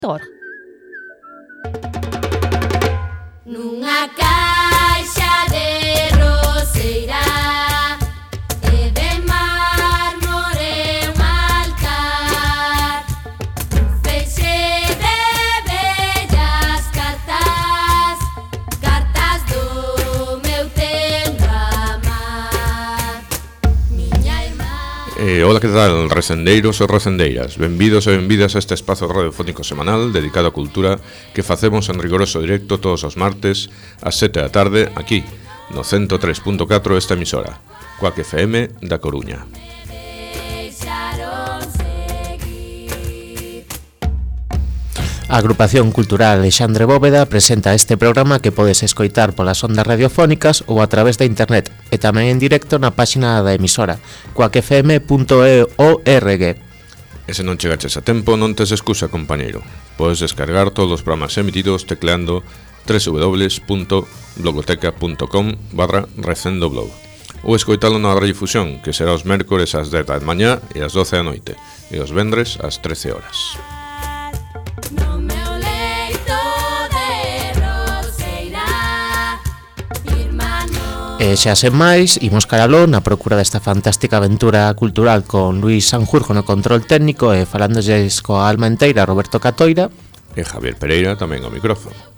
Tor. Nunha caixa de roseira e de mármore un altar, un feixe de bellas cartas, cartas do meu tempo amar. Miña irmá. Hola, que tal, recendeiros e recendeiras? Benvidos e benvidas a este espazo radiofónico semanal dedicado á cultura que facemos en rigoroso directo todos os martes ás 7 da tarde aquí, no 103.4 esta emisora, Cuac FM da Coruña. A Agrupación Cultural Alexandre Bóveda presenta este programa que podes escoitar polas ondas radiofónicas ou a través da internet e tamén en directo na páxina da emisora cuacfm.org. E se non chegaches a tempo, non tes excusa, compañeiro. Podes descargar todos os programas emitidos tecleando www.blogoteca.com/recendoblog ou escoitalo na radiodifusión, que será os mércores ás 10 da mañá e ás 12 da noite e os vendres ás 13 horas. E xa sen máis, imos caraló na procura desta fantástica aventura cultural con Luis Sanjurjo no control técnico e falándolles coa alma enteira Roberto Catoira e Javier Pereira tamén ao micrófono.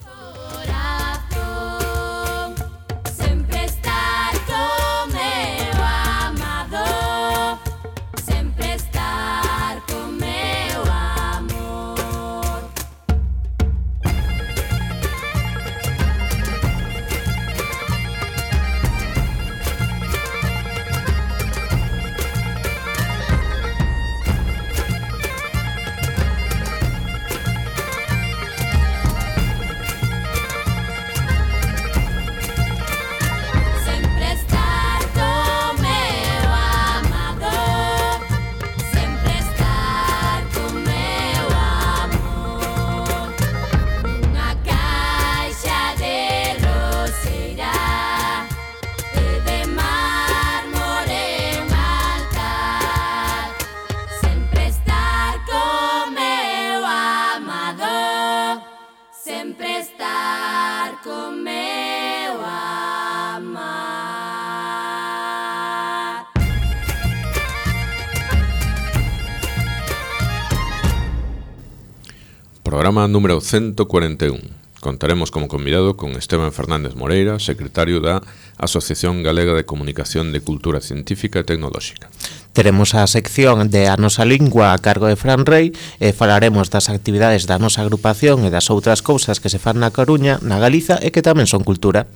Programa número 141. Contaremos como convidado con Esteban Fernández Moreira, secretario da Asociación Galega de Comunicación de Cultura Científica e Tecnolóxica. Teremos a sección de A Nosa Lingua a cargo de Fran Rey e falaremos das actividades da nosa agrupación e das outras cousas que se fan na Coruña, na Galiza e que tamén son cultura.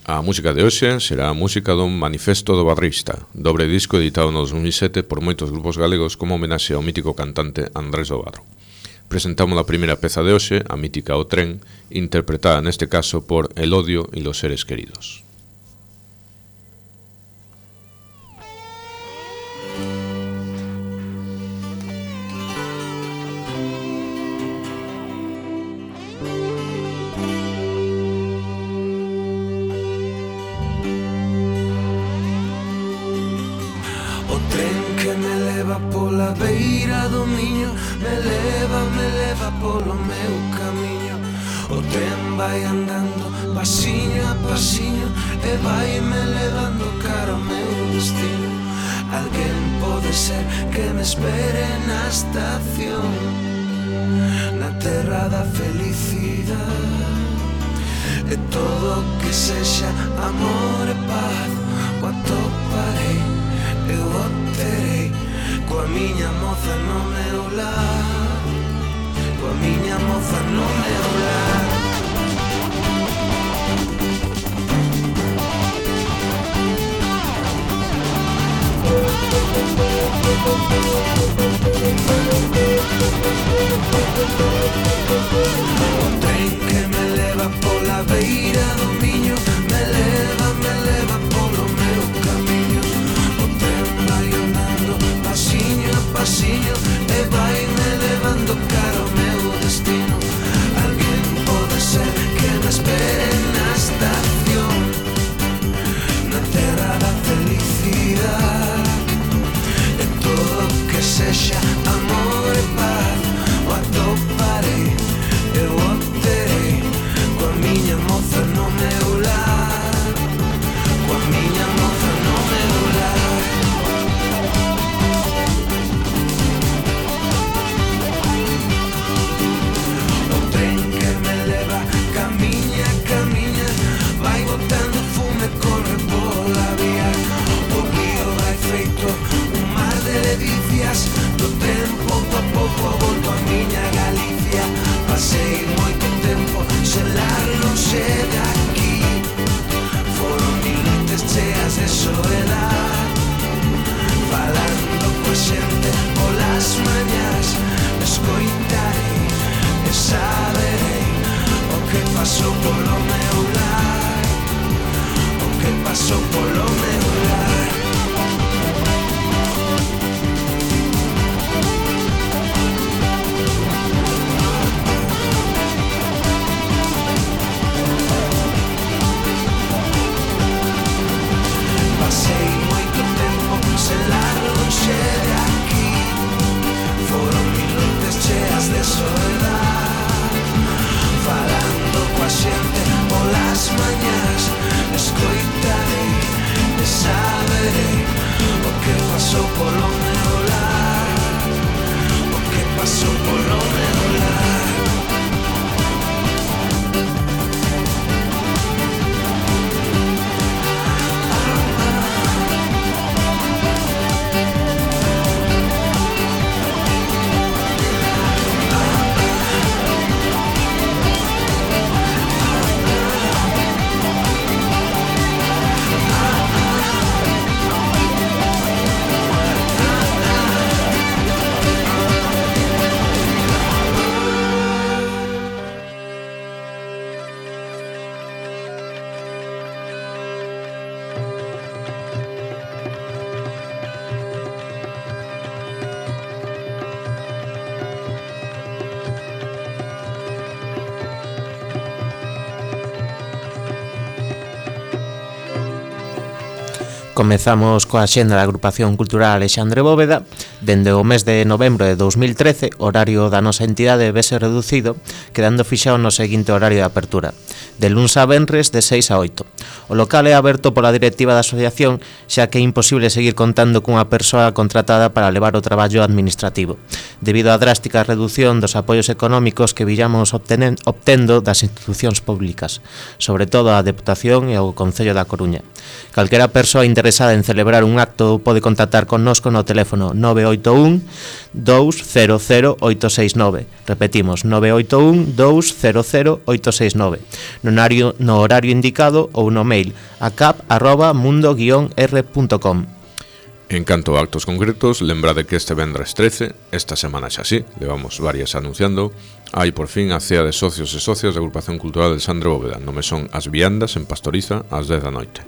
A música de hoxe será a música do Manifesto do Barrista, dobre disco editado no 2007 por moitos grupos galegos como homenaxe ao mítico cantante Andrés do Barro. Presentamos a primeira peza de hoxe, a mítica O Tren, interpretada neste caso por El Odio y los Seres Queridos. O tren que me leva pola beira do Miño, me leva polo meu camiño. O tren vai andando pasiño a pasiño e vai me levando cara ao meu destino. Alguén pode ser que me espere na estación, na terra da felicidade. E todo que sexa amor e paz o atoparei, eu o terei coa miña moza no meu lar, coa miña moza no meu lar. O tren que me leva pola beira do Miño, me leva polo meu camiño. O tren vai andando pasiño a pasiño e vai me levando cara ao meu destino. Alguén pode ser que me espere na estación, na terra da felicidade. E todo que sexa amor e paz o atoparei. e saberei o que pasou polo meu lar, o que pasou polo meu lar. Pasei moito tempo sen lar lonxe de aquí, foron mil noites cheas de soledad, falando coa xente polas mañás, escoitarei e saberei o que pasou polo meu lar, o que pasou polo meu lar. Comezamos coa xenda da Agrupación Cultural Alexandre Bóveda. Dende o mes de novembro de 2013, o horario da nosa entidade vese reducido, quedando fixado no seguinte horario de apertura, de luns a venres de 6 a 8. O local é aberto pola directiva da asociación, xa que é imposible seguir contando cunha persoa contratada para levar o traballo administrativo, debido á drástica reducción dos apoios económicos que villamos obtendo das institucións públicas, sobre todo a Deputación e o Concello da Coruña. Calquera persoa interesada en celebrar un acto pode contactar connosco no teléfono 981 200 869. Repetimos, 981 200 869. No horario indicado ou no mail acap@mundo-r.com. En canto a actos concretos, lembrade que este vendres 13, esta semana xa así, levamos varias anunciando, hai por fin a cea de socios e socias da Agrupación Cultural Alexandre Bóveda, no mesón As Viandas, en Pastoriza, ás 10 da noite.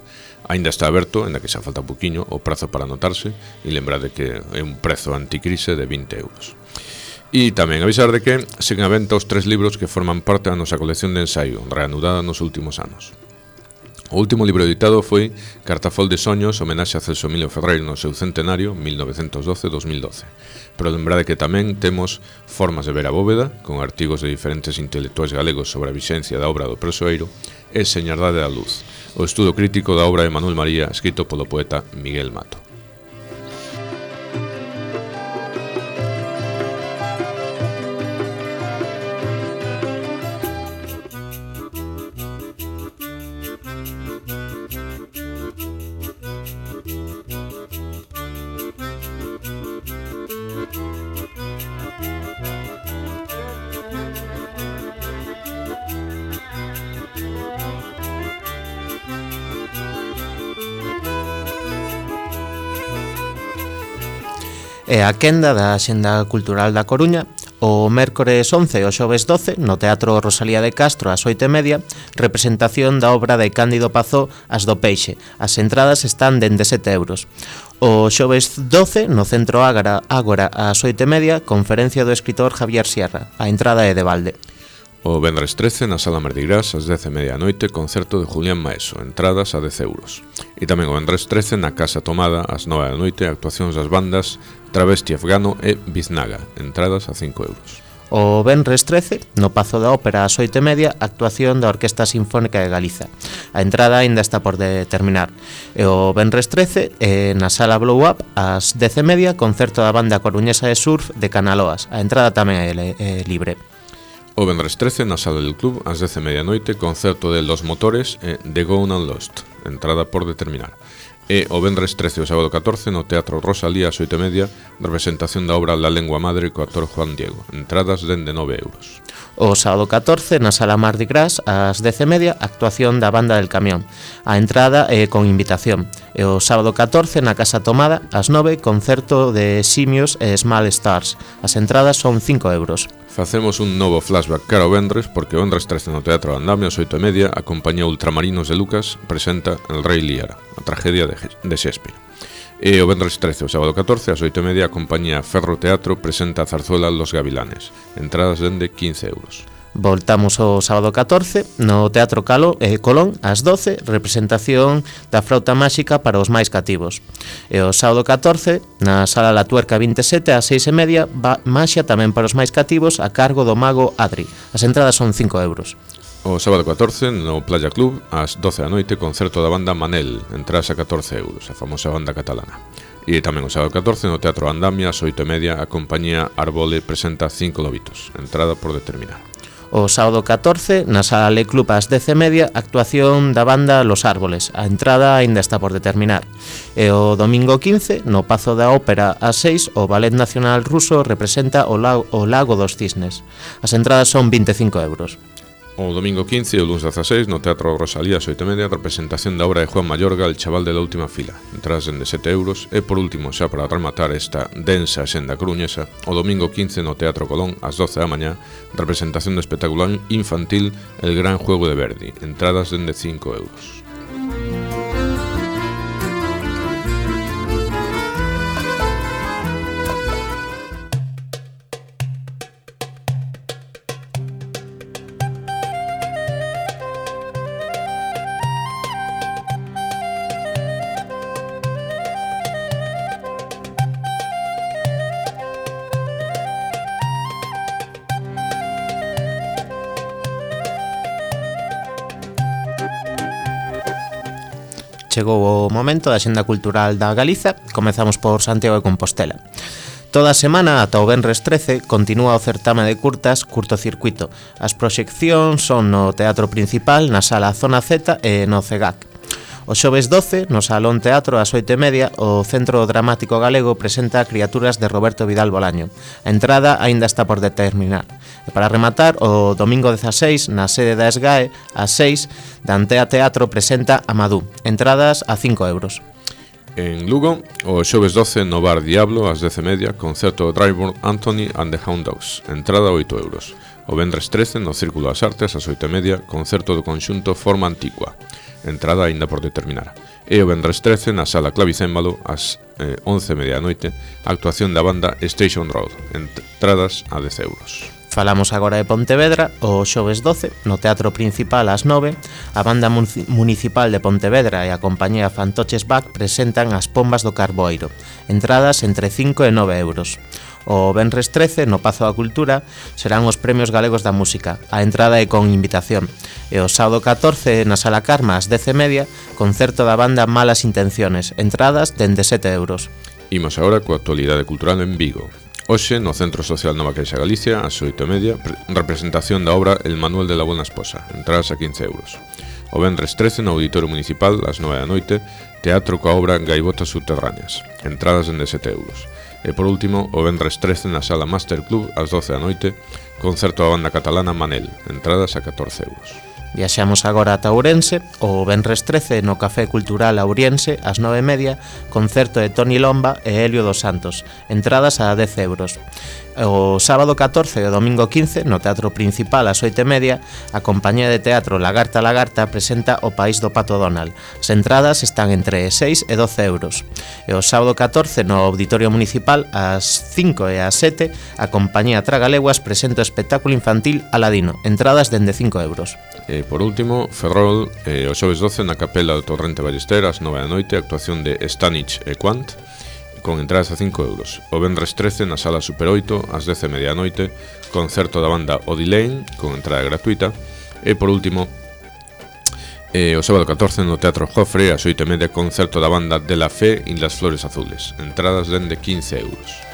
Aínda está aberto, ainda que xa falta un poquinho, o prazo para anotarse, e lembrade que é un prezo anticrise de 20 euros. E tamén avisar de que seguen a venta os 3 libros que forman parte da nosa colección de ensaio, reanudada nos últimos anos. O último libro editado foi Cartafol de Soños, homenaxe a Celso Emilio Ferreiro no seu centenario, 1912-2012. Pero lembrade que tamén temos Formas de ver a Bóveda, con artigos de diferentes intelectuais galegos sobre a vixencia da obra do Presoeiro, e Señardade da Luz, o estudo crítico da obra de Manuel María, escrito polo poeta Miguel Mato. E a quenda da Axenda Cultural da Coruña, o mércores 11 e o xoves 12, no Teatro Rosalía de Castro, ás 8:30, representación da obra de Cándido Pazó, As do Peixe. As entradas están dende 7 euros. O xoves 12, no Centro Ágora, ás 8:30, conferencia do escritor Javier Sierra. A entrada é de balde. O vendres 13, na Sala Mardigras, ás 10:30 da noite, concerto de Julián Maeso, entradas a 10 euros. E tamén o vendres 13, na Casa Tomada, ás 9 da noite, actuacións das bandas Travesti Afgano e Biznaga, entradas a 5 euros. O venres 13, no Pazo da Ópera ás 8:30, actuación da Orquesta Sinfónica de Galiza. A entrada aínda está por determinar. E o venres 13, na Sala Blow Up, ás 10:30, concerto da banda coruñesa de surf de Canaloas. A entrada tamén é libre. O vendres 13, na Sala del Club, ás 10:30 da noite, concerto de Los Motores e The Gone and Lost, entrada por determinar. E o vendres 13 e o sábado 14, no Teatro Rosalía, ás 8:30, representación da obra La Lengua Madre co actor Juan Diego, entradas dende 9 euros. O sábado 14 na Sala Mardi Gras ás 10:30 actuación da Banda del Camión. A entrada é con invitación. E o sábado 14 na Casa Tomada ás 9 concerto de Simios e Small Stars. As entradas son 5 euros. Facemos un novo flashback cara ao vendres porque o vendres 13 no Teatro Andamia ás 8:30 a compañía Ultramarinos de Lucas presenta El Rei Liara, a tragedia de Shakespeare. E o vendres 13, o sábado 14, ás 8:30, a compañía Ferro Teatro presenta a zarzuela Los Gavilanes. Entradas dende 15 euros. Voltamos o sábado 14 no Teatro Colón ás 12, representación da Frauta Máxica para os máis cativos. E o sábado 14 na Sala La Tuerca 27 ás 6:30, Maxia tamén para os máis cativos a cargo do mago Adri. As entradas son 5 euros. O sábado 14, no Playa Club, ás 12 da noite, concerto da banda Manel, entradas a 14 euros, a famosa banda catalana. E tamén o sábado 14, no Teatro Andamia, ás 8:30, a compañía Arbole presenta 5 lobitos, entrada por determinar. O sábado 14, na Sala Le Club ás 10:30, actuación da banda Los Árboles. A entrada aínda está por determinar. E o domingo 15, no Pazo da Ópera ás 6, o Ballet Nacional Ruso representa o Lago dos Cisnes. As entradas son 25 euros. O domingo 15 e o lunes 16, no Teatro Rosalía, ás 8:30, representación da obra de Juan Mayorga, El chaval de la última fila, entradas dende 7 euros. E por último, xa para rematar esta densa senda coruñesa, o domingo 15 no Teatro Colón, ás 12 da mañá, representación do espectáculo infantil El gran juego de Verdi, entradas dende 5 euros. Chegou o momento da Xenda Cultural da Galiza. Comezamos por Santiago de Compostela. Toda a semana, ata o venres 13, continúa o certame de curtas Curtocircuito. As proxeccións son no Teatro Principal, na Sala Zona Z e no CEGAC. O xoves 12, no Salón Teatro, ás 8:30, o Centro Dramático Galego presenta Criaturas de Roberto Vidal Bolaño. A entrada aínda está por determinar. E para rematar, o domingo 16, na sede da SGAE, ás 6, Dantea Teatro presenta Amadú. Entradas a 5 euros. En Lugo, o xoves 12, no Bar Diablo, ás 10:30, concerto Dryburn Anthony and the Hound Dogs. Entrada 8 euros. O vendres 13, no Círculo das Artes, ás 8:30, concerto do conxunto Forma Antigua. Entrada aínda por determinar. E o vendres 13, na Sala Clavicémbalo, ás 11:30 da noite, actuación da banda Station Road. Entradas a 10 euros. Falamos agora de Pontevedra. O xoves 12, no Teatro Principal ás 9, a Banda Municipal de Pontevedra e a compañía Fantoches Back presentan As Pombas do Carboeiro. Entradas entre 5 e 9 euros. O venres 13, no Pazo da Cultura, serán os Premios Galegos da Música. A entrada é con invitación. E o sábado 14, na Sala Carma, ás 10:30, concerto da banda Malas Intenciones. Entradas dende 7 euros. Imos agora coa actualidade cultural en Vigo. Hoxe, no Centro Social Nova Caixa Galicia, ás 8:30, representación da obra El Manuel de la Buena Esposa. Entradas a 15 euros. O venres 13, no Auditorio Municipal, ás 9 da noite, teatro coa obra Gaivotas Subterráneas. Entradas dende 7 euros. E por último, o vendres 13 na Sala Master Club ás 12 da noite, concerto da banda catalana Manel, entradas a 14 euros. Viaxamos agora ata Ourense. O venres 13 no Café Cultural Auriense ás 9:30, concerto de Toni Lomba e Helio dos Santos, entradas a 10 euros. O sábado 14 e o domingo 15, no Teatro Principal ás 8:30, a compañía de teatro Lagarta Lagarta presenta O País do Pato Donald. As entradas están entre 6 e 12 euros. E o sábado 14, no Auditorio Municipal, ás 5 e ás 7, a compañía Tragaleguas presenta o espectáculo infantil Aladino. Entradas dende 5 euros. E por último, Ferrol, o xoves 12 na Capela do Torrente Ballester ás 9 da noite, actuación de Stanich e Quant, con entradas a 5 euros. O venres 13 na Sala Super 8 ás 10:30 da noite, concerto da banda Odilane, con entrada gratuita. E por último, o sábado 14 no Teatro Jofre ás 8:30, concerto da banda De la Fe y las Flores Azules, entradas dende 15 euros.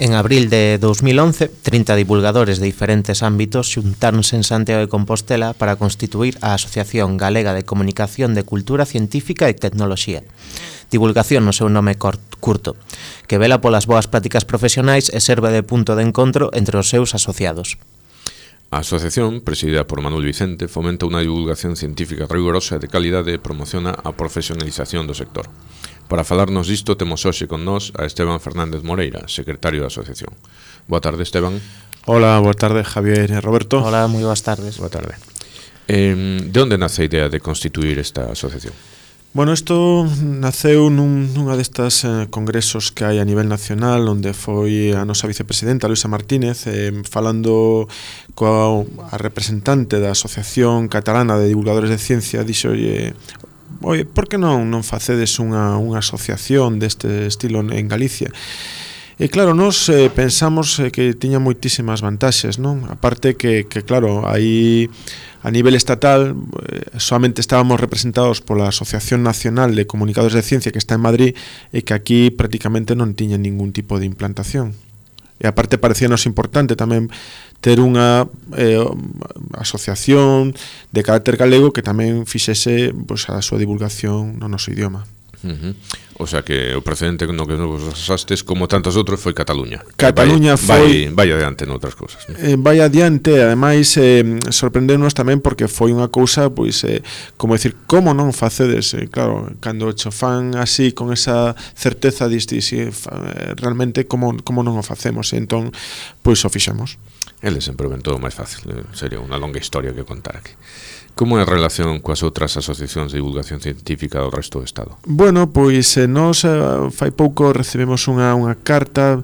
En abril de 2011, 30 divulgadores de diferentes ámbitos xuntáronse en Santiago de Compostela para constituir a Asociación Galega de Comunicación de Cultura Científica e Tecnoloxía. Divulgación no seu nome curto, que vela polas boas prácticas profesionais e serve de punto de encontro entre os seus asociados. A asociación, presidida por Manuel Vicente, fomenta unha divulgación científica rigorosa e de calidade e promociona a profesionalización do sector. Para falarnos disto, temos hoxe con nós a Esteban Fernández Moreira, secretario da asociación. Boa tarde, Esteban. Hola, boa tarde, Javier e Roberto. Hola, moi boas tardes. Boa tarde. De onde nace a idea de constituir esta asociación? Bueno, isto naceu nunha destas congresos que hai a nivel nacional, onde foi a nosa vicepresidenta, Luisa Martínez, falando coa representante da Asociación Catalana de Divulgadores de Ciencia, dixolle: oye, por que non facedes unha asociación deste estilo en Galicia? E claro, nos pensamos que tiña moitísimas vantaxes, non? Aparte que claro, aí a nivel estatal solamente estábamos representados pola Asociación Nacional de Comunicadores de Ciencia, que está en Madrid, e que aquí prácticamente non tiña ningún tipo de implantación. E aparte parecíanos importante tamén ter unha asociación de carácter galego que tamén fixese pois, a súa divulgación no noso idioma. O sea que o precedente no que nos asastes, como tantos outros, foi Cataluña. Cataluña foi... Vai adiante noutras cousas, ¿no? Vai adiante, ademais sorprendernos tamén porque foi unha cousa, pois, como decir, como non facedes? Claro, cando cho fan así, con esa certeza, diste, realmente, como non o facemos? E entón, pois, o fixemos. Ele sempre ven todo máis fácil, sería unha longa historia que contar aquí. Como é a relación coas outras asociacións de divulgación científica do resto do Estado? Bueno, pois nós fai pouco recibimos unha carta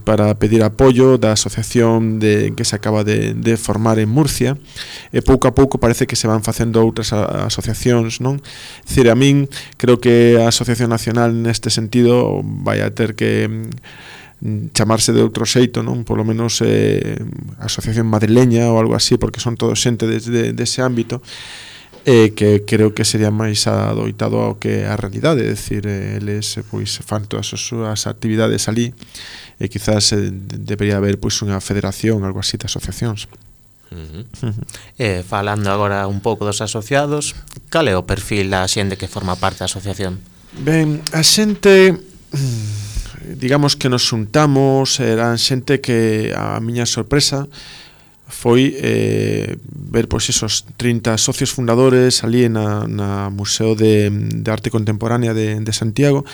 para pedir apoio da asociación que se acaba de formar en Murcia, e pouco a pouco parece que se van facendo outras asociacións, non? Dicir, a min creo que a Asociación Nacional neste sentido vai a ter que chamarse de outro xeito, non? Polo menos asociación madrileña ou algo así, porque son todos xente dese ámbito, que creo que sería máis adoitado ao que a realidade, é dicir, eles pois fan todas as súas actividades ali, e quizás debería haber pois unha federación, algo así de asociacións. Falando agora un pouco dos asociados, cal é o perfil da xente que forma parte da asociación? Ben, a xente, digamos que nos xuntamos, eran xente que a miña sorpresa foi ver pois esos 30 socios fundadores ali na Museo de Arte Contemporánea de Santiago.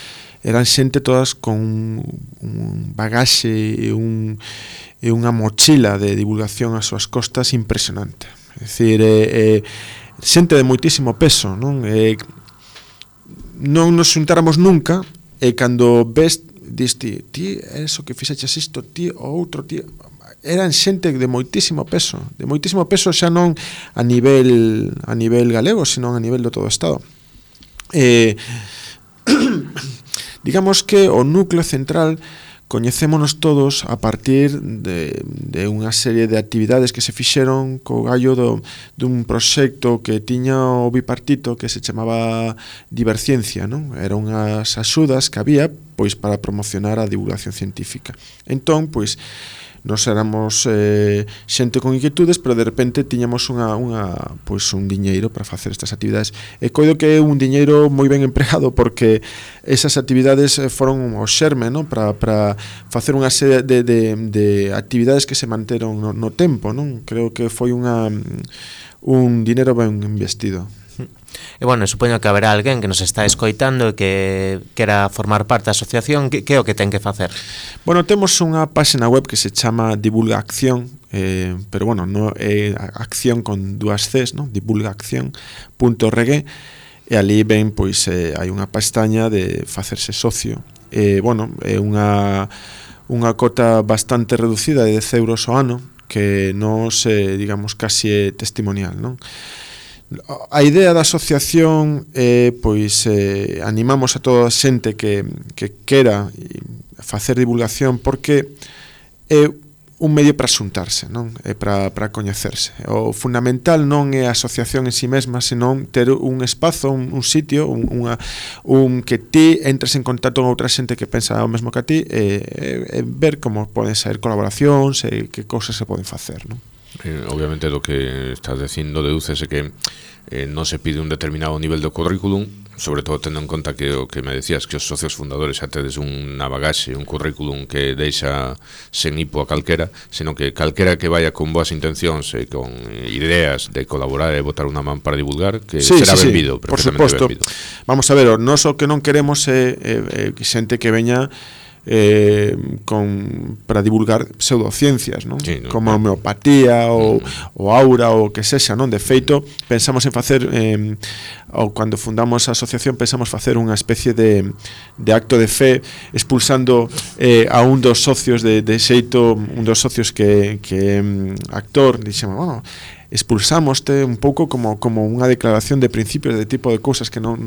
Eran xente todas con un bagaxe e unha mochila de divulgación ás súas costas impresionante. É dicir, xente de moitísimo peso, non? Non nos xuntáramos nunca, e cando ves, diste, ti, eso que fixeches isto, ti, o outro, ti... Eran xente de moitísimo peso xa non a nivel galego, sino a nivel do todo o Estado. Digamos que o núcleo central coñecémonos todos a partir de unha serie de actividades que se fixeron co gallo dun proxecto que tiña o bipartito que se chamaba Diverciencia, non? Eran unhas axudas que había pois para promocionar a divulgación científica. Entón, pois, nos éramos xente con inquietudes, pero de repente tiñamos pois un diñeiro para facer estas actividades. E coido que é un diñeiro moi ben empregado, porque esas actividades foron o xerme, non? Para facer unha serie de actividades que se manteron no tempo, non? Creo que foi un diñeiro ben investido. E bueno, supoño que haberá alguén que nos está escoitando e que quera formar parte da asociación. Que é o que ten que facer? Bueno, temos unha página web que se chama Divulga Acción, pero bueno, no é acción con dúas Cs, ¿no? divulgaacción.org, e ali ven, pois, hai unha pestaña de facerse socio. Bueno, é unha cota bastante reducida de 10 euros ao ano, que nos, digamos, casi é testimonial, non? A idea da asociación é, pois, animamos a toda a xente que quera facer divulgación, porque é un medio para xuntarse, non? E para coñecerse. O fundamental non é a asociación en si mesma, senón ter un espazo, un sitio, un que ti entres en contacto con outra xente que pensa o mesmo que a ti e ver como poden ser colaboracións e que cousas se poden facer, non? Obviamente do que estás dicindo dedúcese que non se pide un determinado nivel de currículum, sobre todo tendo en conta que o que me decías, que os socios fundadores xa tedes unha bagaxe, un currículum que deixa sen hipo a calquera, senón que calquera que vaya con boas intencións e con ideas de colaborar e botar unha man para divulgar, que será benvido, por suposto. Benvido. Vamos a ver, nós o que non queremos é xente que veña para divulgar pseudociencias, non? Sí, no, como a homeopatía ou aura ou que sexa, non? De feito, pensamos en facer ou cando fundamos a asociación pensamos facer unha especie de acto de fe expulsando a un dos socios de xeito, un dos socios que actor, dixemos, bueno, expulsámoste un pouco como unha declaración de principios de tipo de cousas que non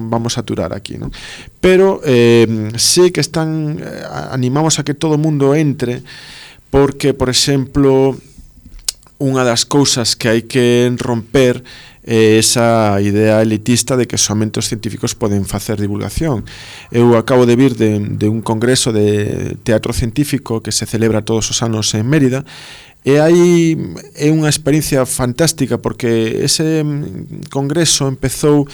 vamos a aturar aquí, non? Pero sí que animamos a que todo o mundo entre, porque, por exemplo, unha das cousas que hai que romper é esa idea elitista de que somente os científicos poden facer divulgación. Eu acabo de vir de un congreso de teatro científico que se celebra todos os anos en Mérida, e aí é unha experiencia fantástica, porque ese congreso empezou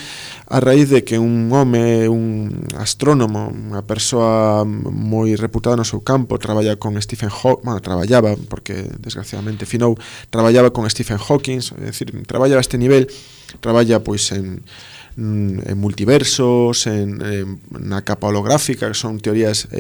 a raíz de que un home, un astrónomo, unha persoa moi reputada no seu campo, traballaba porque desgraciadamente finou, traballaba con Stephen Hawking, é dicir, traballaba a este nivel, traballa pois en multiversos, na capa holográfica, que son teorías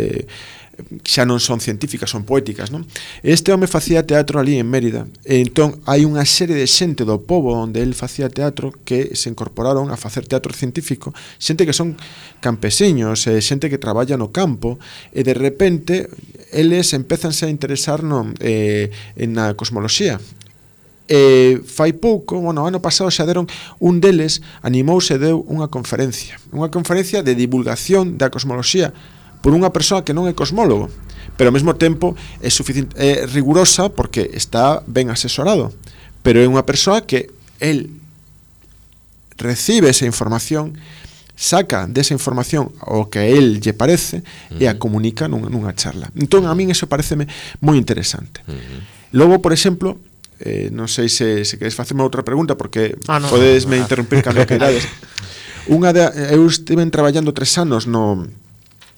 xa non son científicas, son poéticas, non? Este home facía teatro ali en Mérida, e entón hai unha serie de xente do pobo onde el facía teatro que se incorporaron a facer teatro científico, xente que son campesiños, xente que traballa no campo, e de repente eles empezanse a interesar na cosmoloxía. Fai pouco, ano pasado xa deron, un deles animouse e deu unha conferencia de divulgación da cosmoloxía por unha persoa que non é cosmólogo, pero ao mesmo tempo é rigurosa porque está ben asesorado, pero é unha persoa que el recibe esa información, saca desa información o que a él lle parece e a comunica nunha charla. Entón, a min eso pareceme moi interesante. Logo, por exemplo, non sei se queres facerme outra pregunta, porque podesme interrumpir cando queirades. Eu estive traballando 3 anos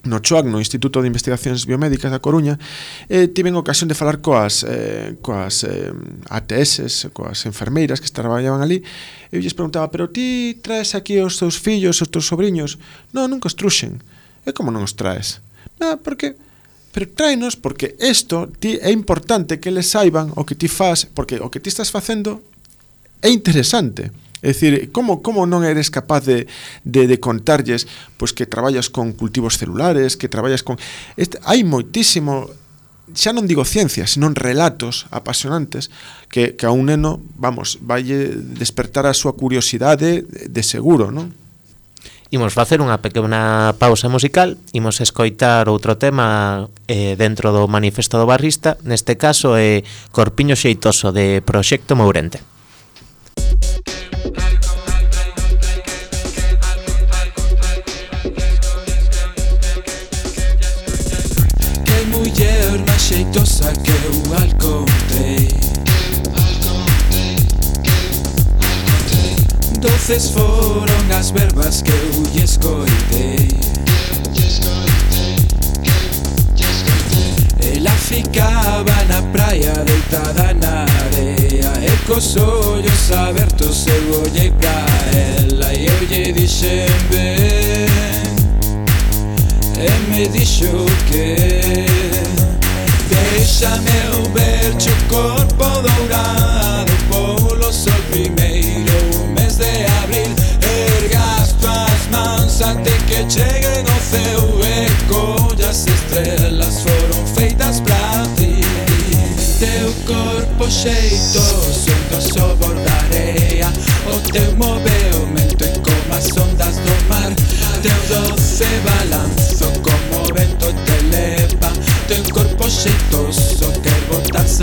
no CHOAC, no Instituto de Investigacións Biomédicas da Coruña, e tiven ocasión de falar coas ATS, coas enfermeiras que traballaban ali, e eu lles preguntaba, pero ti traes aquí os teus fillos, os teus sobriños? Non, nunca os truxen. E como non os traes? Porque... Pero tráenos porque isto é importante que eles saiban o que ti faz, porque o que ti estás facendo é interesante. É dicir, como non eres capaz de contarlles pois que traballas con cultivos celulares, que traballas con... Hai moitísimo, xa non digo ciencia, senón relatos apasionantes que a un neno, vai despertar a súa curiosidade de seguro, non? Imos facer unha pequena pausa musical, imos escoitar outro tema dentro do Manifesto do Barrista, neste caso é Corpiño Xeitoso de Proxecto Mourente. Xeitosa que eu alcontrei, 12 foron as verbas que eu lle escoitei. Ela ficaba na praia deitada na area e cos ollos abertos eu ollei pra ela e eu lle dixen ben, e me dixo que déxame eu verche o corpo dourado polo sol primeiro mes de abril. Erga as tuas mans ante que cheguen ao ceo e collas estrelas foron feitas pra ti. Teu corpo xeitoso endo sobor da area, o teu movemento é como as ondas do mar. Teu doce balanzo como vento te leva, teu corpo xeitoso quer botarse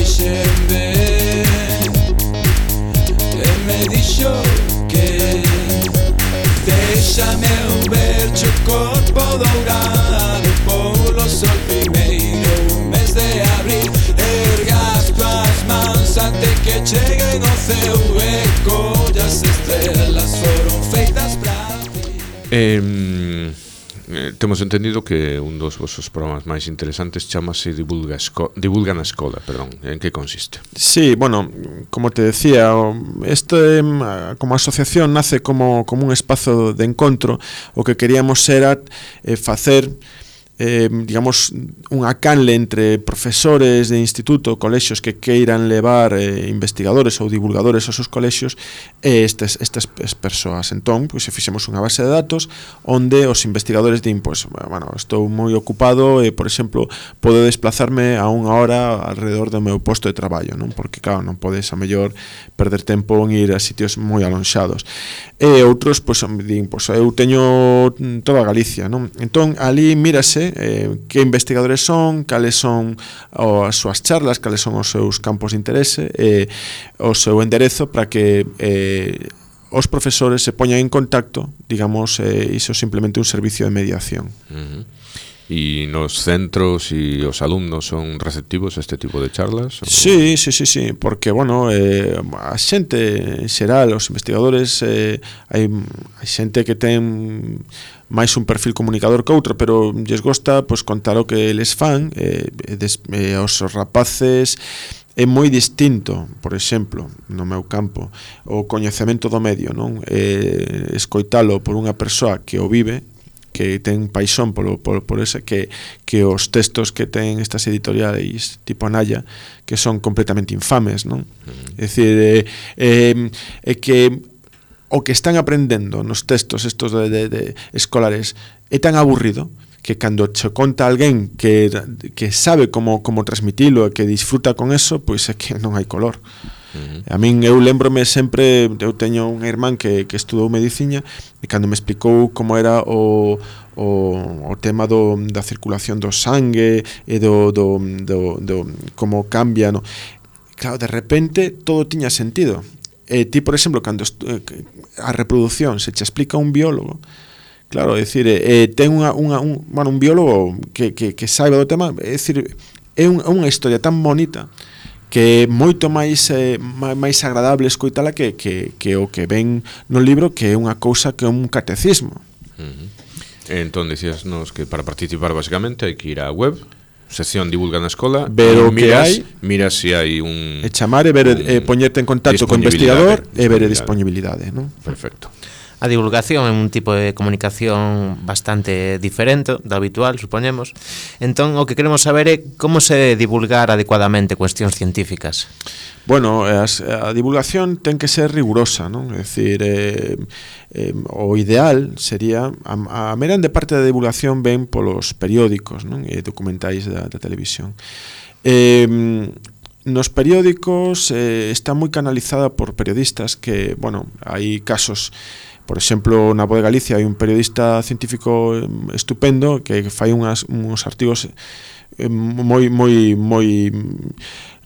fixen ben. E me dixo que déxame eu verche o corpo dourado polo sol primeiro mes de abril. Ergas tuas mans ante que cheguen ao ceu e collas estrelas foron feitas para ti. Temos entendido que un dos vosos programas máis interesantes chamase Divulga na Escola, perdón. En que consiste? Sí, bueno, como te decía, este como asociación nace como un espazo de encontro. O que queríamos era facer digamos, unha canle entre profesores de instituto, colexios que queiran levar investigadores ou divulgadores aos seus colexios e estas persoas. Entón, pois, fixemos unha base de datos onde os investigadores din, pois, bueno, estou moi ocupado e, por exemplo, podo desplazarme a unha hora alrededor do meu posto de traballo, non? Porque, claro, non podes a mellor perder tempo en ir a sitios moi alonxados. E outros, pois, din, pois, eu teño toda Galicia, non? Entón, ali mírase que investigadores son, cales son as súas charlas, cales son os seus campos de interese e o seu enderezo para que os profesores se poñan en contacto, digamos, iso simplemente un servicio de mediación. E nos centros e os alumnos son receptivos a este tipo de charlas? Sí, porque, bueno, a xente en xeral, os investigadores, hai xente que ten máis un perfil comunicador que outro, pero lles gosta, pois, contar o que eles fan, aos rapaces é moi distinto, por exemplo, no meu campo, o coñecemento do medio, non? Escoitalo por unha persoa que o vive, que ten paixón por ese, que os textos que ten estas editoriais tipo Anaya, que son completamente infames, non? É dicir, que o que están aprendendo nos textos estos de escolares é tan aburrido que cando che conta alguén que sabe como transmitilo e que disfruta con eso, pois é que non hai color. A min, eu lembrome sempre, eu teño unha irmán que estudou medicina e cando me explicou como era o tema da circulación do sangue e do como cambia, no? Claro, de repente todo tiña sentido. Ti, por exemplo, cando a reproducción se che explica un biólogo, claro, é dicir, ten un biólogo que saiba do tema, é dicir, é unha historia tan bonita que é moito máis agradable escoitala que o que ven no libro, que é unha cousa que é un catecismo. Entón, dicíasnos que para participar basicamente hai que ir á web, sección Divulga na Escola, ver o que hai, mira se hai un... E chamar e ver, poñerte en contacto co investigador e ver a disponibilidade, non? Perfecto. A divulgación é un tipo de comunicación bastante diferente do habitual, supoñemos. Entón, o que queremos saber é como se divulgar adecuadamente cuestións científicas. Bueno, a divulgación ten que ser rigurosa, non? É dicir, o ideal sería, a grande parte da divulgación ven polos periódicos, non? E documentais da televisión. Nos periódicos está moi canalizada por periodistas que, bueno, hai casos. Por exemplo, na Voz de Galicia hai un periodista científico estupendo que fai uns artigos moi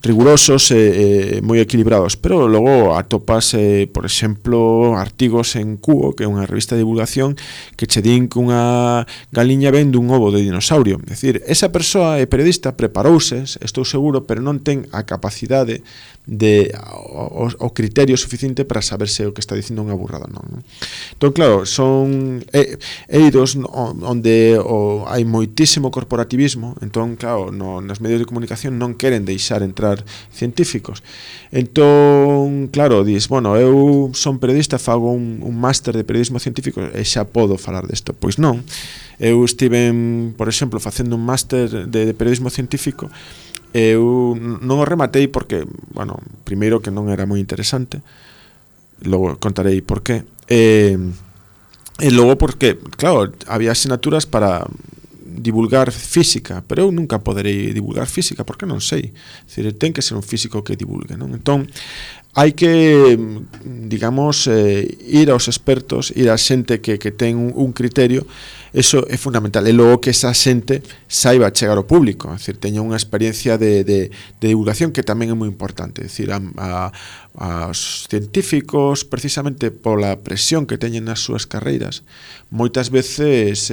rigurosos e moi equilibrados, pero logo atopas, por exemplo, artigos en Cubo, que é unha revista de divulgación, que che din que unha galiña ven dun ovo de dinosaurio. É dicir, esa persoa é periodista, preparouse, estou seguro, pero non ten a capacidade o criterio suficiente para saber se o que está dicindo unha burrada non. Entón, claro, son eidos onde hai moitísimo corporativismo. Entón, claro, nos medios de comunicación non queren deixar entrar científicos. Entón, claro, dis, bueno, eu son periodista, fago un máster de periodismo científico e xa podo falar desto. Pois non. Eu estive, por exemplo, facendo un máster de periodismo científico. Eu non o rematei porque, bueno, primeiro que non era moi interesante, logo contarei por qué, e logo porque, claro, había asignaturas para divulgar física, pero eu nunca poderei divulgar física porque non sei. É dicir, ten que ser un físico que divulgue, non? Entón, hai que, digamos, ir aos expertos, ir a xente que ten un criterio. Eso é fundamental, e logo que esa xente saiba chegar ao público, é dicir, teña unha experiencia de divulgación que tamén é moi importante, é dicir, aos científicos, precisamente pola presión que teñen nas súas carreiras, moitas veces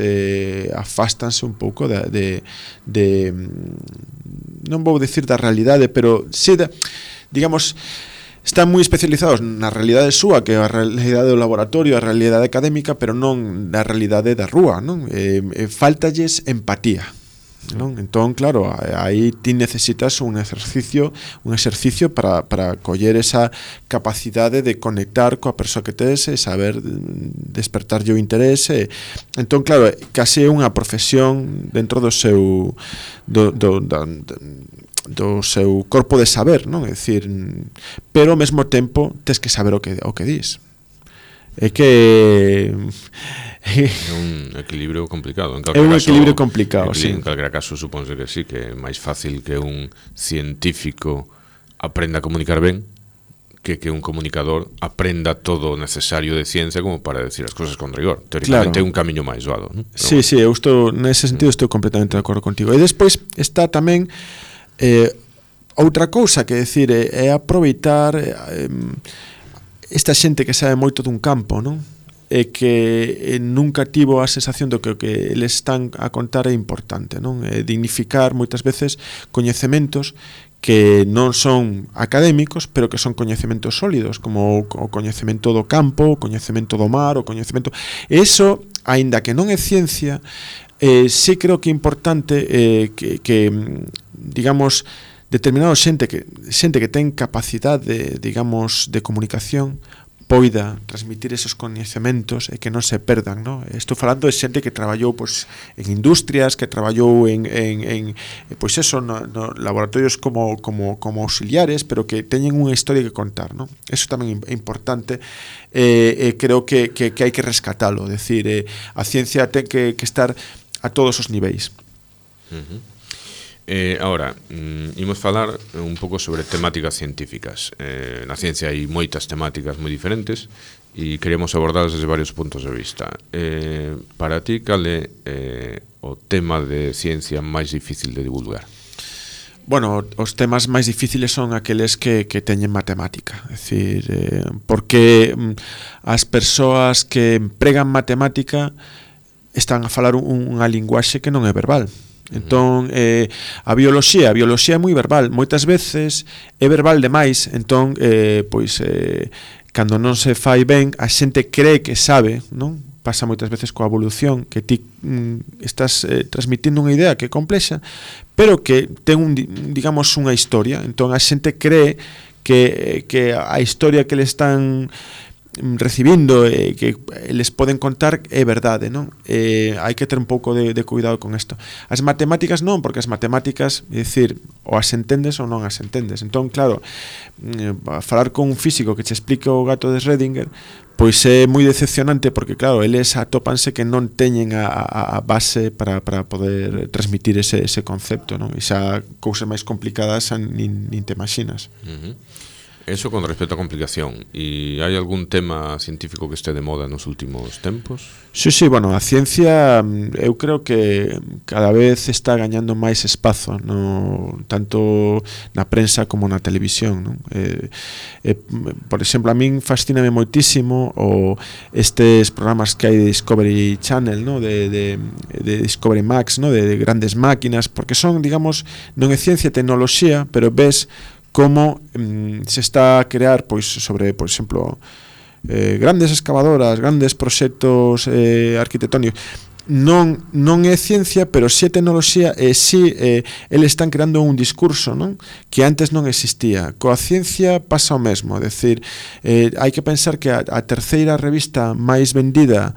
afástanse un pouco de non vou dicir da realidade, pero sí, digamos, están moi especializados na realidade súa, que é a realidade do laboratorio, a realidade académica, pero non na realidade da rúa, non? Faltalles empatía, non? Entón, claro, aí ti necesitas un exercicio para coller esa capacidade de conectar coa persoa que tes e saber despertarlle o interese. Entón, claro, case é unha profesión dentro do seu do seu corpo de saber, non? É dicir, pero ao mesmo tempo tes que saber o que dis. É que é un equilibrio complicado. É un equilibrio complicado, sí. En calquera caso, supónse que sí, que é máis fácil que un científico aprenda a comunicar ben que un comunicador aprenda todo o necesario de ciencia como para decir as cousas con rigor. Teóricamente é un camiño máis doado, non? Sí, sí, eu estou nese sentido estou completamente de acordo contigo. E despois está tamén outra cousa que decir é aproveitar esta xente que sabe moito dun campo, non? E que nunca tivo a sensación do que o que eles están a contar é importante, non? Dignificar moitas veces coñecementos que non son académicos, pero que son coñecementos sólidos, como o coñecemento do campo, o coñecemento do mar, o coñecemento... Eso, aínda que non é ciencia, sí creo que é importante que digamos, determinada xente que ten capacidade, digamos, de comunicación poida transmitir esos coñecementos e que non se perdan, non? Estou falando de xente que traballou pois en industrias, que traballou en pois eso, no laboratorios como auxiliares, pero que teñen unha historia que contar, non? Eso tamén é importante, creo que hai que rescatalo, decir, a ciencia ten que estar a todos os niveis. Ahora, imos falar un pouco sobre temáticas científicas. Na ciencia hai moitas temáticas moi diferentes e queremos abordalas desde varios puntos de vista. Para ti, cal é o tema de ciencia máis difícil de divulgar? Bueno, os temas máis difíciles son aqueles que teñen matemática. É dicir, porque as persoas que empregan matemática están a falar unha linguaxe que non é verbal. Entón, a bioloxía é moi verbal, moitas veces é verbal demais, entón, cando non se fai ben, a xente cree que sabe, non? Pasa moitas veces coa evolución, que ti estás transmitindo unha idea que é complexa, pero que ten digamos, unha historia, entón a xente cree que a historia que le están recibindo que les poden contar é verdade, non? Hai que ter un pouco de cuidado con isto. As matemáticas non, porque as matemáticas, é dicir, ou as entendes ou non as entendes. Entón, claro, falar con un físico que che explique o gato de Schrödinger, pois é moi decepcionante porque, claro, eles atópanse que non teñen a base para poder transmitir ese concepto, non? E xa cousas máis complicadas nin te imaginas. Eso con respecto a complicación. E hai algún tema científico que este de moda nos últimos tempos? Sí, bueno, a ciencia eu creo que cada vez está gañando máis espazo, tanto na prensa como na televisión, non? Por exemplo, a min fascíname moitísimo estes programas que hai de Discovery Channel, no? de Discovery Max, no? de grandes máquinas, porque son, digamos, non é ciencia e tecnoloxía, pero ves como se está a crear pois sobre, por exemplo, grandes excavadoras, grandes proxectos arquitectónicos. Non é ciencia, pero si é tecnoloxía e si eles están creando un discurso, non? Que antes non existía. Coa ciencia pasa o mesmo, é dicir, hai que pensar que a terceira revista máis vendida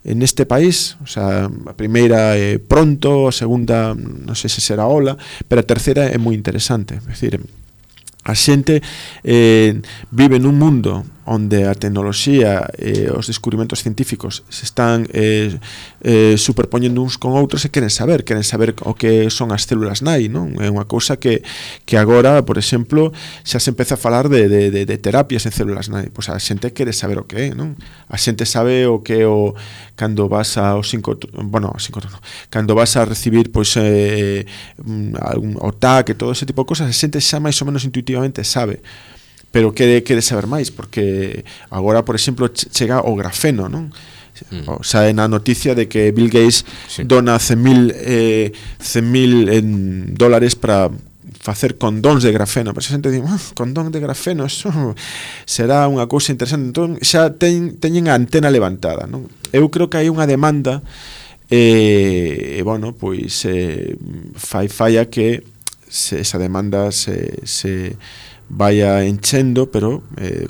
neste país, o sea, a primeira é Pronto, a segunda non sei se será Ola, pero a terceira é moi interesante, é dicir, a xente vive nun mundo onde a tecnoloxía e os descubrimentos científicos se están superpoñendo uns con outros e queren saber o que son as células nai, non? É unha cousa que agora, por exemplo, xa se empeza a falar de terapias en células nai. Pois a xente quere saber o que é, non? A xente sabe o que é cando vas ao cando vas a recibir pois o TAC e todo ese tipo de cosas, a xente xa máis ou menos intuitivamente sabe, pero quere saber máis, porque agora, por exemplo, chega o grafeno, non? O sea, na noticia de que Bill Gates dona $100,000 para facer condóns de grafeno. Pero a xente di, condón de grafeno, eso será unha cousa interesante. Entón, xa teñen a antena levantada, non? Eu creo que hai unha demanda bueno, pois falla que esa demanda se vaya enchendo, pero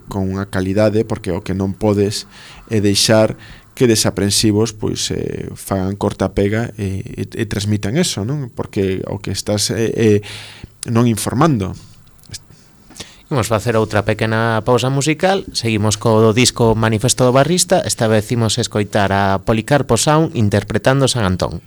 con unha calidade, porque o que non podes é deixar que desaprensivos pois fagan corta pega e transmitan eso, non? Porque o que estás non informando. Vamos facer outra pequena pausa musical. Seguimos co disco Manifesto do Barrista. Esta vez imos escoitar a Policarpo Sound interpretando San Antón.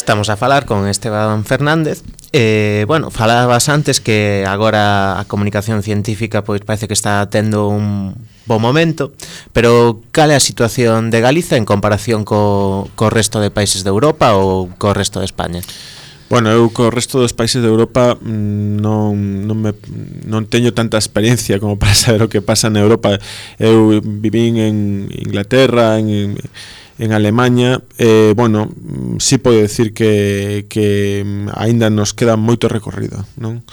Estamos a falar con Esteban Fernández. Bueno, falabas antes que agora a comunicación científica pois parece que está tendo un bo momento, pero cal é a situación de Galiza en comparación co resto de países de Europa ou co resto de España? Bueno, eu co resto dos países de Europa non teño tanta experiencia como para saber o que pasa na Europa. Eu vivín en Inglaterra, en Alemanha, bueno, sí podo decir que aínda nos queda moito recorrido, non?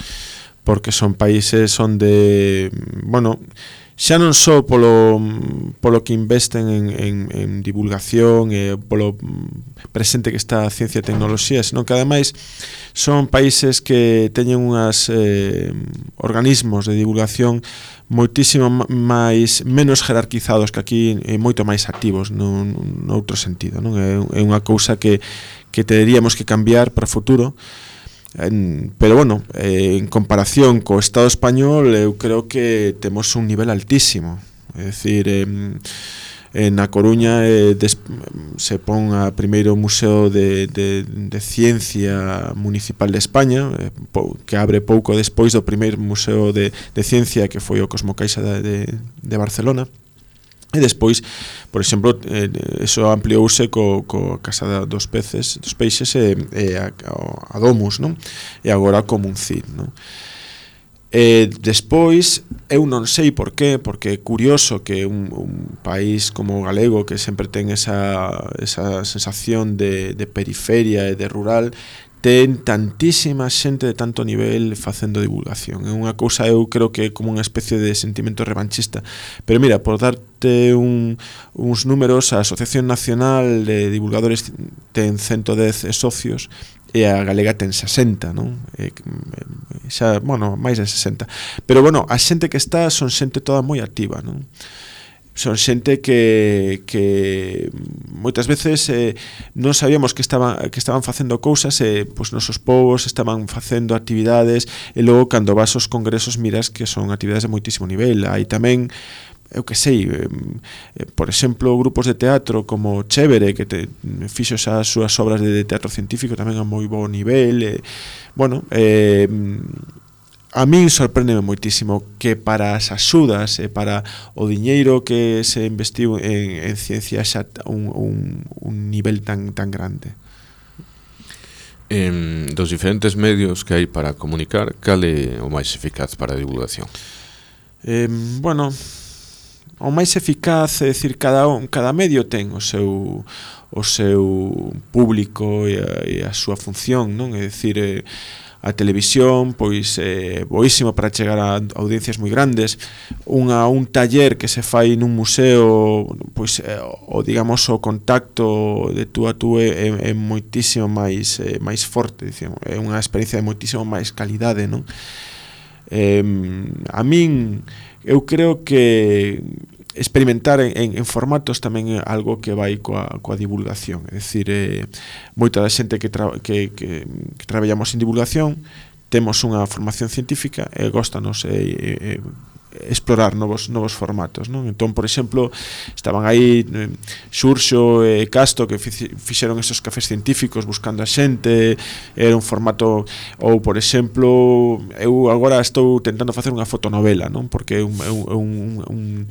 Porque son países onde, bueno, xa non só polo que investen en divulgación e polo presente que está a ciencia e tecnoloxía, senón que ademais son países que teñen unhas organismos de divulgación moitísimo menos jerarquizados que aquí e moito máis activos noutro sentido, non? É unha cousa que teríamos que cambiar para o futuro. Pero bueno, en comparación co Estado español, eu creo que temos un nivel altísimo. É dicir, na Coruña se pon a primeiro Museo de Ciencia Municipal de España, que abre pouco despois do primeiro Museo de Ciencia que foi o Cosmocaixa de Barcelona. E despois, por exemplo, eso ampliouse co Casa dos Peixes e a Domus, non? E agora co Muncir, non? Despois, eu non sei por qué, porque é curioso que un país como o galego, que sempre ten esa sensación de periferia e de rural, ten tantísima xente de tanto nivel facendo divulgación. É unha cousa, eu creo que é como unha especie de sentimento revanchista. Pero mira, por darte uns números, a Asociación Nacional de Divulgadores ten 110 socios e a galega ten 60, non? Xa, bueno, máis de 60. Pero bueno, a xente que está son xente toda moi activa, non? Son xente que moitas veces non sabíamos que estaban facendo cousas e pois nosos povos estaban facendo actividades e logo cando vas aos congresos miras que son actividades de moitísimo nivel. Hai tamén, eu que sei, por exemplo, grupos de teatro como Chévere, que fixo as súas obras de teatro científico tamén a moi bo nivel. Bueno, a min sorprendeme moitísimo que para as axudas e para o diñeiro que se investiu en ciencia xa un nivel tan grande. Dos diferentes medios que hai para comunicar, cal é o máis eficaz para a divulgación? Bueno, o máis eficaz é dicir, cada medio ten o seu público e a súa función, non? É dicir, a televisión, pois boísimo para chegar a audiencias moi grandes. Un taller que se fai nun museo, pois digamos o contacto de tú a tú é moitísimo máis forte, dicimos, é unha experiencia de moitísimo máis calidade, non? A min, eu creo que experimentar en formatos tamén é algo que vai coa divulgación. É dicir, moita da xente que traballamos en divulgación temos unha formación científica e góstanos explorar novos formatos, non? Entón, por exemplo, estaban aí Xurxo e Casto que fixeron esos cafés científicos buscando a xente, era un formato, ou por exemplo, eu agora estou tentando facer unha fotonovela, non? Porque é un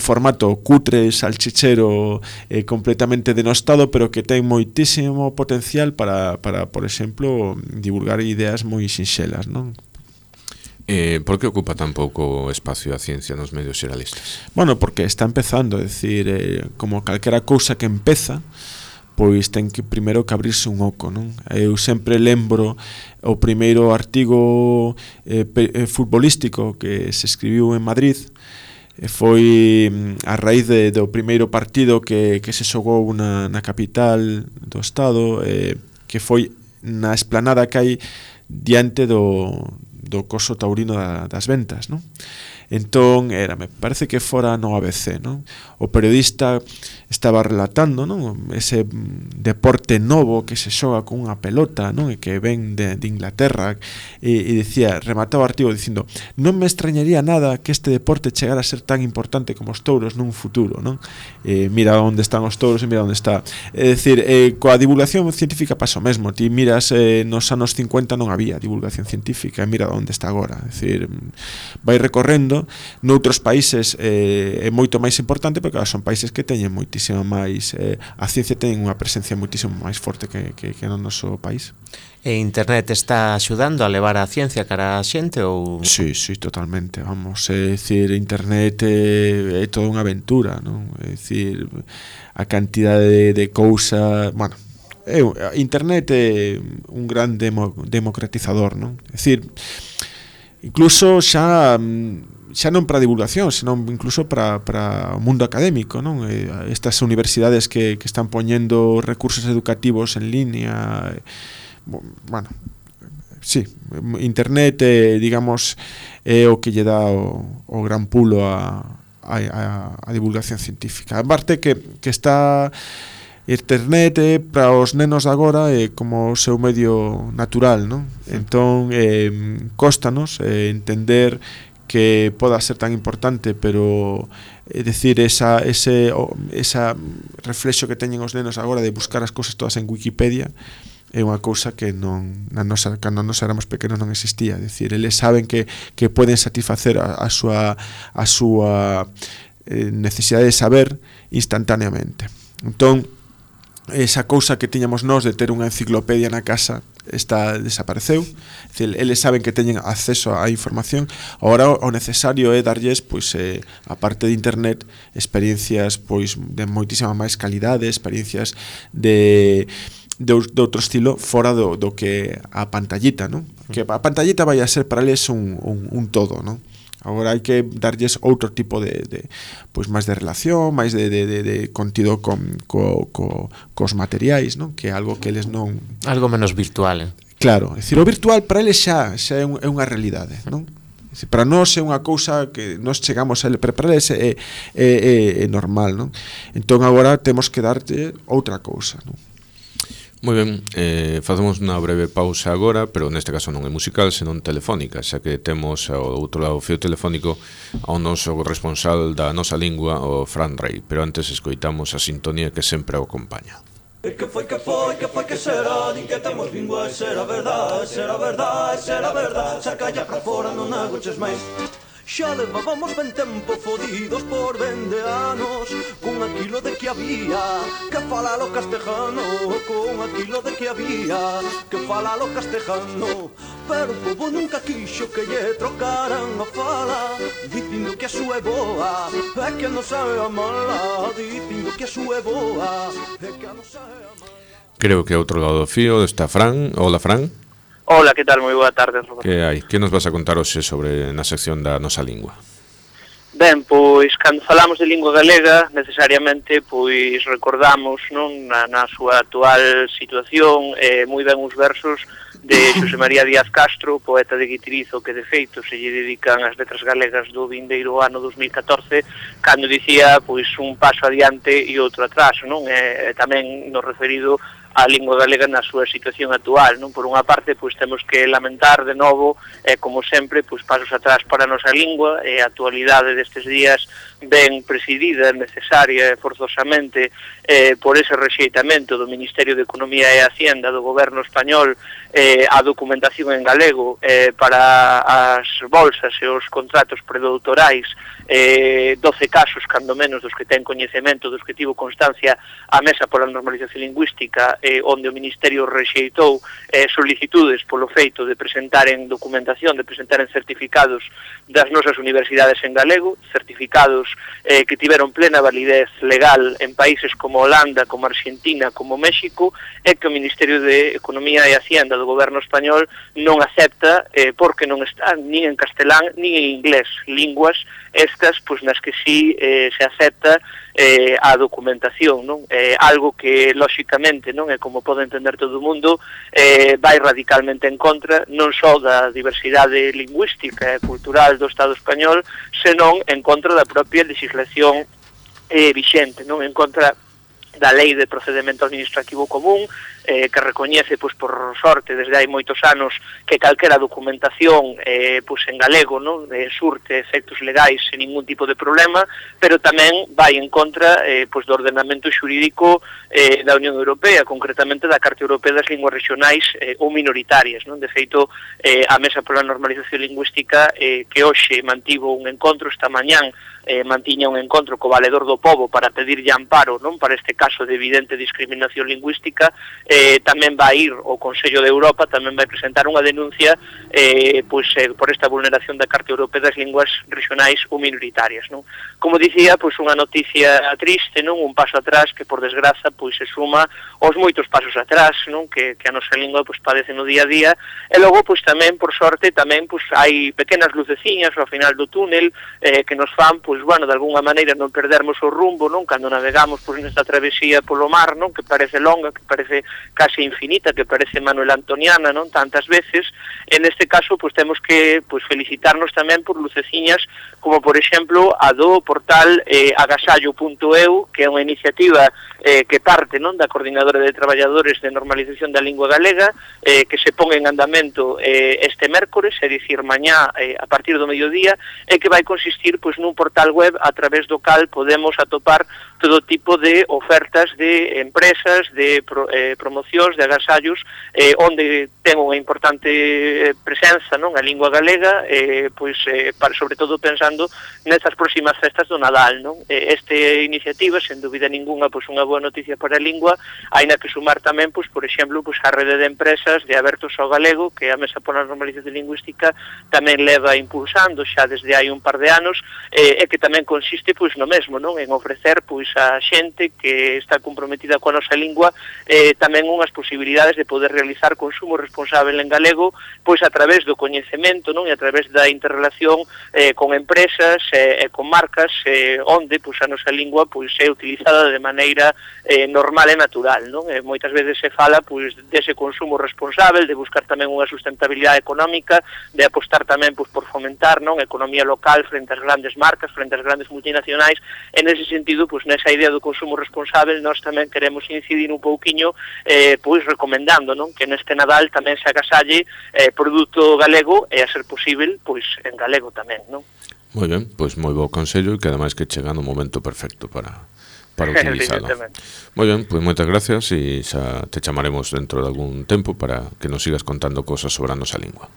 formato cutre, salchichero, completamente denostado, pero que ten moitísimo potencial para por exemplo, divulgar ideas moi sinxelas, non? Por que ocupa tan pouco espacio a ciencia nos medios xeralistas? Bueno, porque está empezando, é dicir, como calquera cousa que empeza, pois ten que primeiro que abrirse un oco, non? Eu sempre lembro o primeiro artigo futbolístico que se escribiu en Madrid, foi a raíz do primeiro partido que se xogou na capital do estado, que foi na esplanada que hai diante do coso taurino das Ventas, non? Entón, me parece que fora no ABC, non? O periodista estaba relatando, non? Ese deporte novo que se xoga con unha pelota, non? E que ven de Inglaterra, e dicía, remataba o artigo dicindo: non me extrañaría nada que este deporte chegara a ser tan importante como os touros nun futuro, non? Mira onde están os touros e mira onde está. É dicir, coa divulgación científica pasa o mesmo. Ti miras, nos anos 50 non había divulgación científica, e mira onde está agora. É dicir, vai recorrendo. Noutros países é moito máis importante, porque son países que teñen moitísimo máis, a ciencia ten unha presencia moitísimo máis forte que no noso país. E internet está axudando a levar a ciencia cara a xente ou...? Sí, totalmente, vamos, é dicir, internet é toda unha aventura, non? É dicir, a cantidade de cousa, bueno, internet é un gran democratizador, non? É dicir, incluso xa xa non para divulgación, senón incluso para o mundo académico, non? Estas universidades que están poñendo recursos educativos en línea, bueno, sí, internet, digamos, é o que lle dá o gran pulo a divulgación científica. A parte que está internet para os nenos de agora é como o seu medio natural, non? Entón, cóstanos entender que poda ser tan importante, pero decir, ese reflexo que teñen os nenos agora de buscar as cousas todas en Wikipedia é unha cousa que cando nos éramos pequenos non existía. É dicir, eles saben que poden satisfacer a súa necesidade de saber instantaneamente. Entón, esa cousa que tiñamos nós de ter unha enciclopedia na casa desapareceu. É dicir, eles saben que teñen acceso á información. Agora o necesario é darlles, pois, a parte de internet, experiencias, pois, de moitísima máis calidade, experiencias de outro estilo fora do que a pantallita, non? Que a pantallita vai a ser para eles un todo, non? Agora hai que darlles outro tipo de pois máis de relación, máis de contido cos materiais, non? Que é algo que eles non... Algo menos virtual, Claro, é dicir, o virtual para eles xa é unha realidade, non? Para nós é unha cousa que nós chegamos a ele, pero para eles é normal, non? Entón agora temos que darte outra cousa, non? Moi ben, facemos unha breve pausa agora, pero neste caso non é musical, senón telefónica, xa que temos ao outro lado o fio telefónico ao noso responsable da nosa lingua, o Fran Rey, pero antes escoitamos a sintonía que sempre o acompaña. Que foi, que será, din que temos lingua, será verdade, saca ya pra fora, non agoches máis. Xa levábamos ben tempo fodidos por 20 anos, con aquilo de que había que falar o castejano, con aquilo de que había que falar o castejano. Pero o povo nunca quixo que lle trocaran a fala, dicindo que a súa é boa, é que non sabe a mala, dicindo que a súa é boa, é que non sabe a mala. Creo que ao outro lado do fío está Fran. Hola, Fran. Hola, que tal? Moi boa tarde, Roberto. Que hai? Que nos vas a contar hoxe sobre na sección da nosa lingua? Ben, pois, cando falamos de lingua galega, necesariamente, pois, recordamos, non, na súa actual situación, moi ben os versos de Xosé María Díaz Castro, poeta de Guitirizo, que de feito se lle dedican as letras galegas do vindeiro ano 2014, cando dicía, pois, un paso adiante e outro atrás, non? Tamén no referido a lingua galega na súa situación actual, non? Por unha parte, pois temos que lamentar de novo, como sempre, pois pasos atrás para a nosa lingua, a actualidade destes días ben presidida, necesaria e forzosamente por ese rexeitamento do Ministerio de Economía e Hacienda do goberno español a documentación en galego para as bolsas e os contratos predoutorais, 12 casos, cando menos, dos que ten coñecemento, dos que tivo constancia a Mesa pola Normalización Lingüística, onde o Ministerio rexeitou solicitudes polo feito de presentaren documentación, de presentaren certificados das nosas universidades en galego, certificados que tiveron plena validez legal en países como Holanda, como Argentina, como México, e que o Ministerio de Economía e Hacienda do goberno español non acepta porque non está nin en castelán nin en inglés, linguas estas pois nas que sí se acepta a documentación, non? Algo que lóxicamente, non é como pode entender todo o mundo, vai radicalmente en contra non só da diversidade lingüística e cultural do Estado español, senón en contra da propia legislación vixente, non? En contra da Lei de Procedemento Administrativo Común, que recoñece, pois, por sorte, desde hai moitos anos, que calquera documentación pois, en galego, non? Surte efectos legais sen ningún tipo de problema, pero tamén vai en contra pois, do ordenamento xurídico da Unión Europea, concretamente da Carta Europea das Linguas Regionais ou Minoritarias, non? De feito, a Mesa pola Normalización Lingüística, que hoxe mantivo un encontro esta mañán, mantiña un encontro co Valedor do Pobo para pedirlle amparo, non? Para este caso de evidente discriminación lingüística, tamén vai ir o Consello de Europa, tamén vai presentar unha denuncia por esta vulneración da Carta Europea das Linguas Regionais ou Minoritarias, non? Como dicía, unha noticia triste, non? Un paso atrás que, por desgraza, se suma aos moitos pasos atrás, non? Que a nosa lingua padece no día a día, e logo tamén, por sorte, tamén hai pequenas luceciñas ao final do túnel que nos fan, de alguna maneira non perdermos o rumbo, non? Cando navegamos nesta travesía polo mar, non? Que parece longa, que parece case infinita, que parece Manuel Antoniana, non? Tantas veces. En este caso, temos que felicitarnos tamén por luceciñas como, por exemplo, a do portal agasallo.eu, que é unha iniciativa que parte, non? Da Coordinadora de Traballadores de Normalización da Lingua Galega, que se pon en andamento este mércores, é dicir, mañá a partir do mediodía, e que vai consistir nun portal web a través do cal podemos atopar todo tipo de ofertas de empresas, de promocións, de agasallos, onde ten unha importante presenza, non? A lingua galega, sobre todo pensando nestas próximas festas do Nadal, non? Esta iniciativa, sen dúbida ninguna, unha boa noticia para a lingua, aínda que sumar tamén, por exemplo, a rede de empresas de Abertos ao Galego, que a Mesa pola Normalización Lingüística tamén leva impulsando xa desde hai un par de anos, e que tamén consiste no mesmo, non? En ofrecer a xente que está comprometida coa nosa lingua tamén unhas posibilidades de poder realizar consumo responsable en galego, a través do coñecemento, non? E a través da interrelación con empresas e con marcas onde a nosa lingua é utilizada de maneira normal e natural, non? Moitas veces se fala dese consumo responsable, de buscar tamén unha sustentabilidade económica, de apostar tamén por fomentar, non? Economía local frente ás grandes marcas, frente ás grandes multinacionais. En ese sentido, nesa idea do consumo responsable, nós tamén queremos incidir un pouquiño recomendando, non? Que neste Nadal tamén se agasalle produto galego e, a ser posible, en galego tamén, non? Moi ben, moi bo consello, e que ademais que chega no momento perfecto para utilizalo. Moi ben, moitas gracias, e xa te chamaremos dentro de algún tempo para que nos sigas contando cosas sobre a nosa lingua.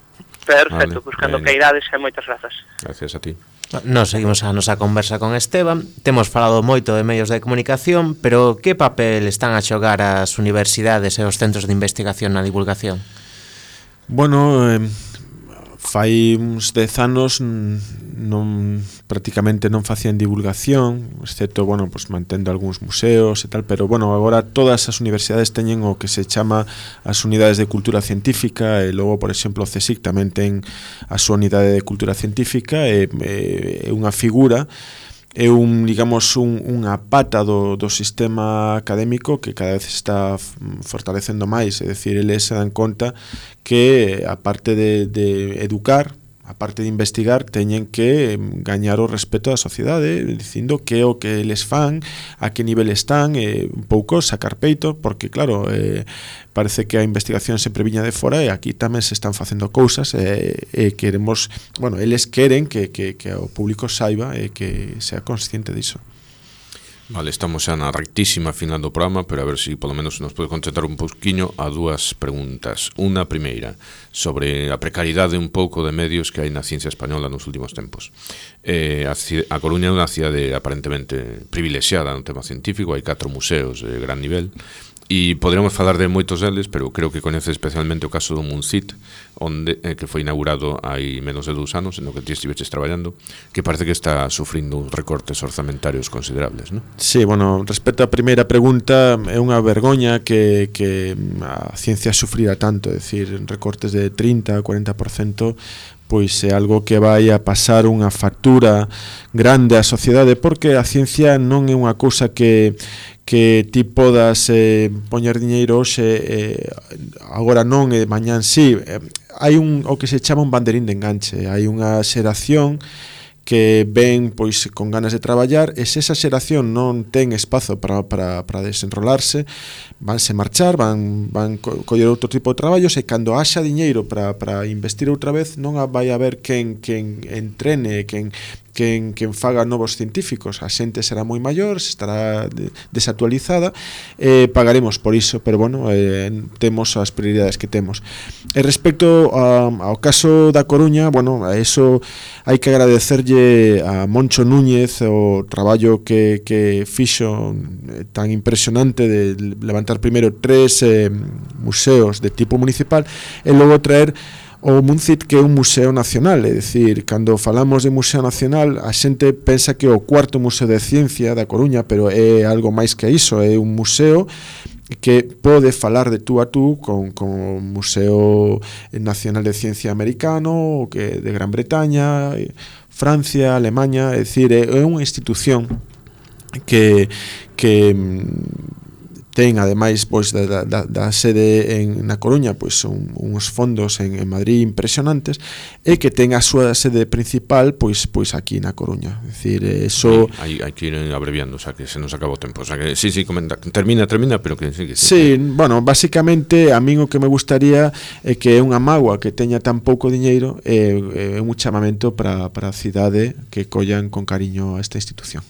Perfecto, cando queirades, e moitas grazas. Gracias a ti. Nos seguimos a nosa conversa con Esteban. Temos falado moito de medios de comunicación, pero que papel están a xogar as universidades e os centros de investigación na divulgación? Bueno, fai uns 10 anos prácticamente non facían divulgación, excepto, mantendo algúns museos e tal, pero, agora todas as universidades teñen o que se chama as unidades de cultura científica, e logo, por exemplo, o CSIC tamén ten a súa unidade de cultura científica, e unha figura, é unha pata do sistema académico que cada vez está fortalecendo máis, é dicir, eles se dan conta que, aparte de educar, aparte de investigar, teñen que gañar o respeto da sociedade, dicindo que é o que eles fan, a que nivel están, un pouco sacar peito, porque claro, parece que a investigación sempre viña de fora, e aquí tamén se están facendo cousas, e queremos, eles queren que o público saiba e que sea consciente diso. Vale, estamos xa na rectísima final do programa, pero a ver se polo menos nos pode concentrar un pouquiño a dúas preguntas. Unha primeira, sobre a precariedade un pouco de medios que hai na ciencia española nos últimos tempos. A Coruña é unha cidade aparentemente privilexiada no tema científico, hai 4 museos de gran nivel, e poderíamos falar de moitos deles, pero creo que coñece especialmente o caso do Muncit, que foi inaugurado hai menos de 2 anos, no que ti estiveches traballando, que parece que está sufrindo uns recortes orzamentarios considerables, non? Sí, respecto á primeira pregunta, é unha vergoña que a ciencia sufrira tanto, é dicir, recortes de 30-40%, é algo que vai a pasar unha factura grande á sociedade, porque a ciencia non é unha cousa que ti podas poñer diñeiro hoxe, agora non, e mañán sí. Hai o que se chama un banderín de enganche, hai unha xeración que ven con ganas de traballar, e se esa xeración non ten espazo para desenrolarse, vanse marchar, van coller outro tipo de traballos, e cando haxa diñeiro para investir outra vez, non vai haber quen entrene, quen quen faga novos científicos. A xente será moi maior, estará desactualizada, pagaremos por iso, pero bueno, temos as prioridades que temos. E respecto ao caso da Coruña, bueno, a eso hai que agradecerlle a Moncho Núñez o traballo que fixo tan impresionante de levantar primeiro 3 museos de tipo municipal e logo traer o MUNCIT, que é un museo nacional. É dicir, cando falamos de museo nacional, a xente pensa que é o cuarto museo de ciencia da Coruña, pero é algo máis que iso, é un museo que pode falar de tú a tú con o Museo Nacional de Ciencia americano, que de Gran Bretaña, Francia, Alemania. É dicir, é unha institución que ten, ademais, pois da sede na Coruña, pois uns fondos en Madrid impresionantes, e que ten a súa sede principal pois aquí na Coruña. É dicir, eso hai que ir abreviando, o sea, que se nos acabou o tempo, o sea, que sí, comenta, termina, pero que sí. Sí, bueno, basicamente a min o que me gustaría é que é unha mágoa que teña tan pouco diñeiro, é un chamamento para a cidade que collan con cariño a esta institución.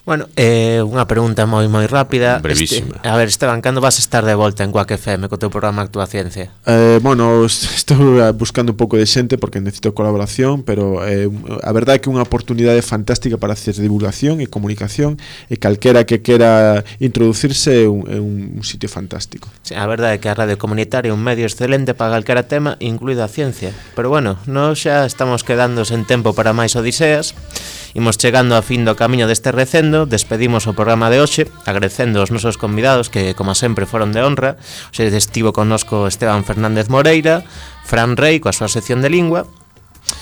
Bueno, unha pregunta moi rápida. Brevísima. A ver, Esteban, cando vas a estar de volta en Quack FM co teu programa Actúa Ciencia? Bueno, estou buscando un pouco de xente porque necesito colaboración, pero a verdade é que é unha oportunidade fantástica para hacer divulgación e comunicación, e calquera que quera introducirse é un sitio fantástico. Sí, a verdade é que a radio comunitaria é un medio excelente para calquera tema, incluída a ciencia. Pero bueno, nós xa estamos quedando sen tempo para máis odiseas. Imos chegando a fin do camiño deste recendo. Despedimos o programa de hoxe agradecendo aos nosos convidados que, como sempre, foron de honra. Hoxe estivo connosco Esteban Fernández Moreira, Fran Rey coa súa sección de lingua,